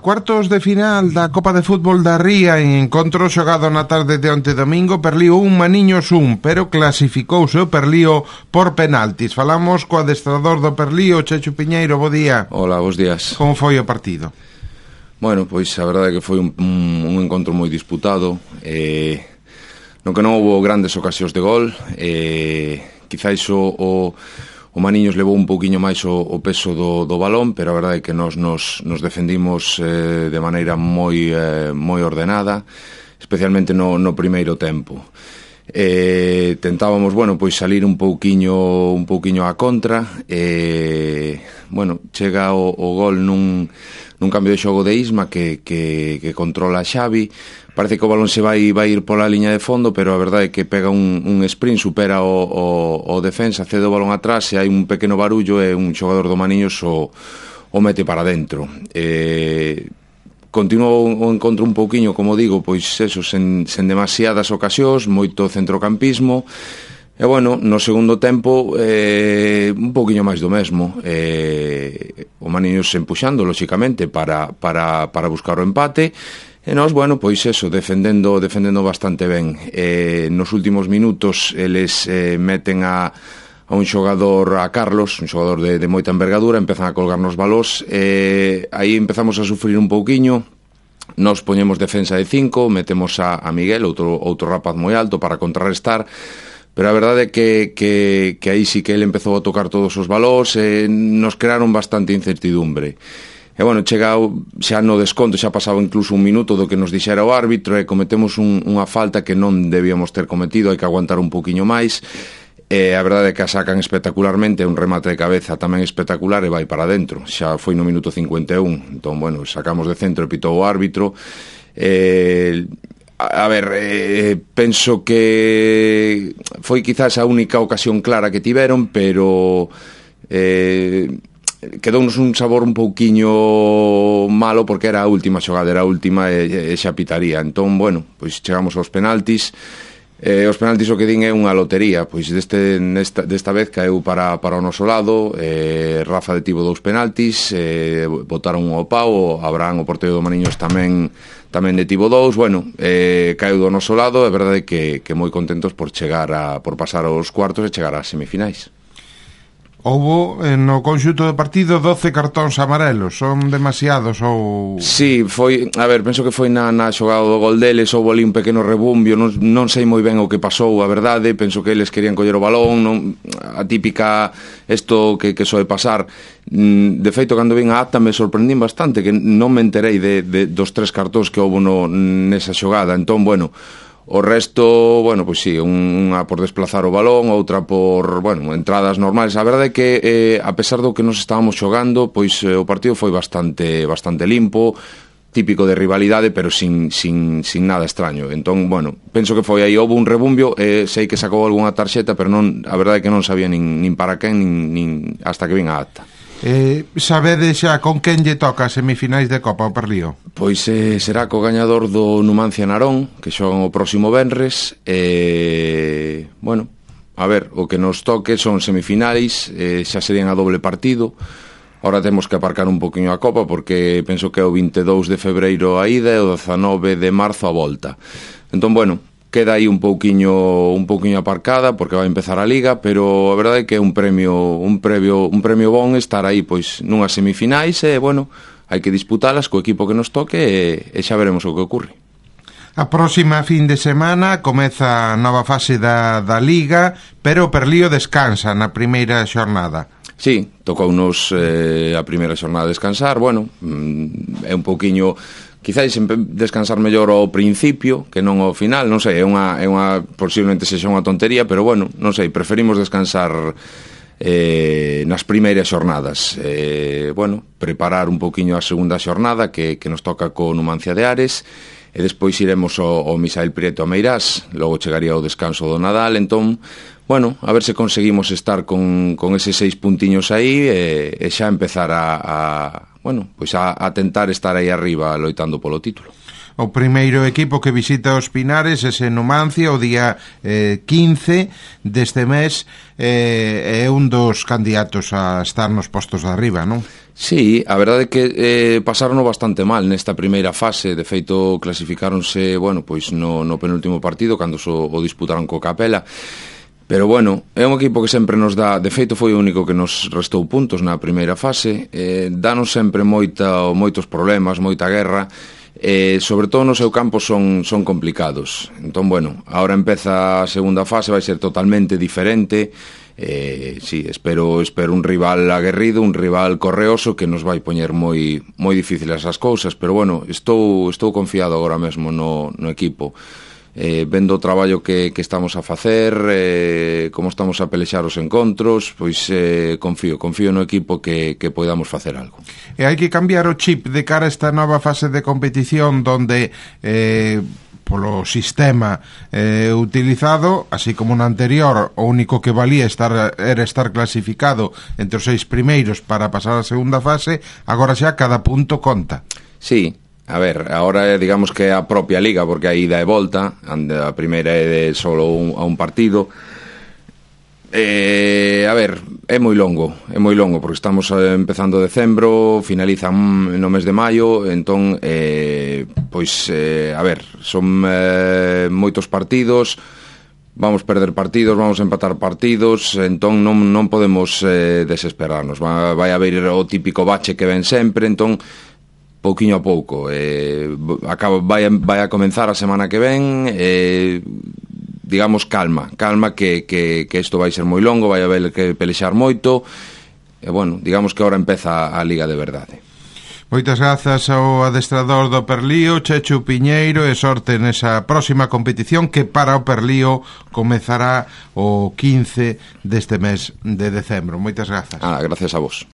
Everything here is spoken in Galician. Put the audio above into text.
Cuartos de final da Copa de Fútbol da Ría en encontro xogado na tarde de onte domingo. Perlío un, Maniños un, pero clasificouse o Perlío por penaltis. Falamos co adestrador do Perlío, Chechu Piñeiro. Bo día. Hola, bos días. Como foi o partido? Bueno, pois a verdade é que foi un encontro moi disputado, no que non houve grandes ocasións de gol. Quizáis o Maniños levou un pouquiño máis o peso do balón, pero a verdade é que nos defendimos de maneira moi ordenada, especialmente no primeiro tempo. Tentábamos, bueno, pois salir un pouquiño á contra. Bueno, chega o gol nun cambio de xogo de Isma que controla a Xavi. Parece que o balón se vai ir pola liña de fondo, pero a verdade é que pega un sprint, supera o defensa, cede o balón atrás e hai un pequeno barullo e un xogador do Maniños o mete para dentro. Continuou o encontro un pouquiño, como digo, pois eso, sen demasiadas ocasións, moito centrocampismo. E bueno, no segundo tempo un pouquiño máis do mesmo. O Maniños empuxando, lóxicamente, para buscar o empate. E nós, bueno, pois eso, defendendo bastante ben. Nos últimos minutos eles meten a un xogador, a Carlos, un xogador de moita envergadura, empezan a colgarnos balós. Aí empezamos a sufrir un pouquiño. Nos poñemos defensa de 5, metemos a Miguel, outro rapaz moi alto, para contrarrestar. Pero a verdade é que aí sí que ele empezou a tocar todos os balós e nos crearon bastante incertidumbre. E bueno, chega xa no desconto, xa pasaba incluso un minuto do que nos dixera o árbitro e cometemos unha falta que non debíamos ter cometido, hai que aguantar un poquinho máis. E a verdade é que a sacan espectacularmente, un remate de cabeza tamén espectacular e vai para dentro. Xa foi no minuto 51, entón, bueno, sacamos de centro e pitou o árbitro. A ver, penso que foi quizás a única ocasión clara que tiveron, pero quedounos un sabor un pouquiño malo porque era a última xogada, era a última e xa pitaría. Entón, bueno, pois chegamos aos penaltis. Os penaltis o que din é unha lotería, pois desta vez caeu para o noso lado. Rafa detivo 2 penaltis, botaron un ao pau, Abraham, o porteiro do Maniños, tamén detivo 2. Bueno, caeu do noso lado, é verdade que moi contentos por pasar aos cuartos e chegar ás semifinais. Houbo no conxunto do partido 12 cartóns amarelos, son demasiados ou... Sí, foi, a ver, penso que foi na xogada do gol deles, houbo ali un pequeno rebumbio, non sei moi ben o que pasou, a verdade, penso que eles querían coller o balón, a típica, isto que soe pasar. De feito, cando vin a acta me sorprendín bastante, que non me enterei dos 3 cartóns que houbo nesa xogada, entón, bueno... O resto, bueno, pois sí, unha por desplazar o balón, outra por, bueno, entradas normales. A verdade é que, a pesar do que nos estábamos xogando, pois o partido foi bastante limpo, típico de rivalidade, pero sin nada extraño. Entón, bueno, penso que foi aí, houve un rebumbio, sei que sacou algunha tarxeta, pero non, a verdade é que non sabía nin para quen, nin hasta que vin a acta. Sabedes xa con quen lle toca as semifinais de Copa o Perlío? Pois será co gañador do Numancia Narón, que xogan o próximo venres. Bueno, a ver, o que nos toque son semifinais, xa serían a doble partido. Ahora temos que aparcar un poquinho a Copa, porque penso que é o 22 de febreiro a ida e o 19 de marzo a volta. Entón, bueno, queda aí un pouquiño aparcada porque vai empezar a Liga, pero a verdade é que é un premio bon estar aí pois nunhas semifinais e, bueno, hai que disputalas co equipo que nos toque e xa veremos o que ocurre. A próxima fin de semana comeza a nova fase da Liga, pero o Perlío descansa na primeira xornada. Sí, tocounos a primeira xornada descansar, bueno, é un pouquiño... Quizáis descansar mellor ao principio que non ao final, non sei, é unha posiblemente sexa unha tontería, pero bueno, non sei, preferimos descansar nas primeiras xornadas. Bueno, preparar un pouquiño a segunda xornada que nos toca co Numancia de Ares e despois iremos ao Misael Prieto a Meirás, logo chegaría o descanso do Nadal, entón, bueno, a ver se conseguimos estar con eses 6 puntiños aí e xa empezar bueno, pois a tentar estar aí arriba loitando polo título. O primeiro equipo que visita os Pinares é Numancia o día 15 deste mes, é un dos candidatos a estar nos postos de arriba, non? Sí, a verdade é que pasarono bastante mal nesta primeira fase. De feito, clasificáronse, bueno, pois no penúltimo partido, cando o disputaron co Capela. Pero bueno, é un equipo que sempre nos dá, de feito foi o único que nos restou puntos na primeira fase, danos sempre moitos problemas, moita guerra, sobre todo no seu campo son complicados. Entón, bueno, agora empeza a segunda fase, vai ser totalmente diferente. Sí, espero un rival aguerrido, un rival correoso que nos vai poñer moi difíciles as cousas, pero bueno, estou confiado agora mesmo no equipo. Vendo o traballo que estamos a facer, como estamos a pelexar os encontros, pois confío no equipo que podamos facer algo. E hai que cambiar o chip de cara a esta nova fase de competición donde polo sistema utilizado, así como no anterior, o único que valía era estar clasificado entre os 6 primeiros para pasar a segunda fase, agora xa cada punto conta. Sí. A ver, agora digamos que é a propia liga, porque a ida e volta, a primeira é de solo a un partido. A ver, é moi longo, porque estamos empezando decembro, finaliza no mes de maio, entón, pois, a ver, son moitos partidos, vamos perder partidos, vamos empatar partidos, entón non podemos desesperarnos, vai haber o típico bache que ven sempre, entón, pouquiño a pouco, vai a comenzar a semana que ven, digamos calma que isto vai ser moi longo, vai haber que pelexar moito, e bueno, digamos que agora empeza a liga de verdade. Moitas grazas ao adestrador do Perlío, Chechu Piñeiro, e sorte nesa próxima competición que para o Perlío comezará o 15 deste mes de decembro. Moitas grazas. Gracias a vos.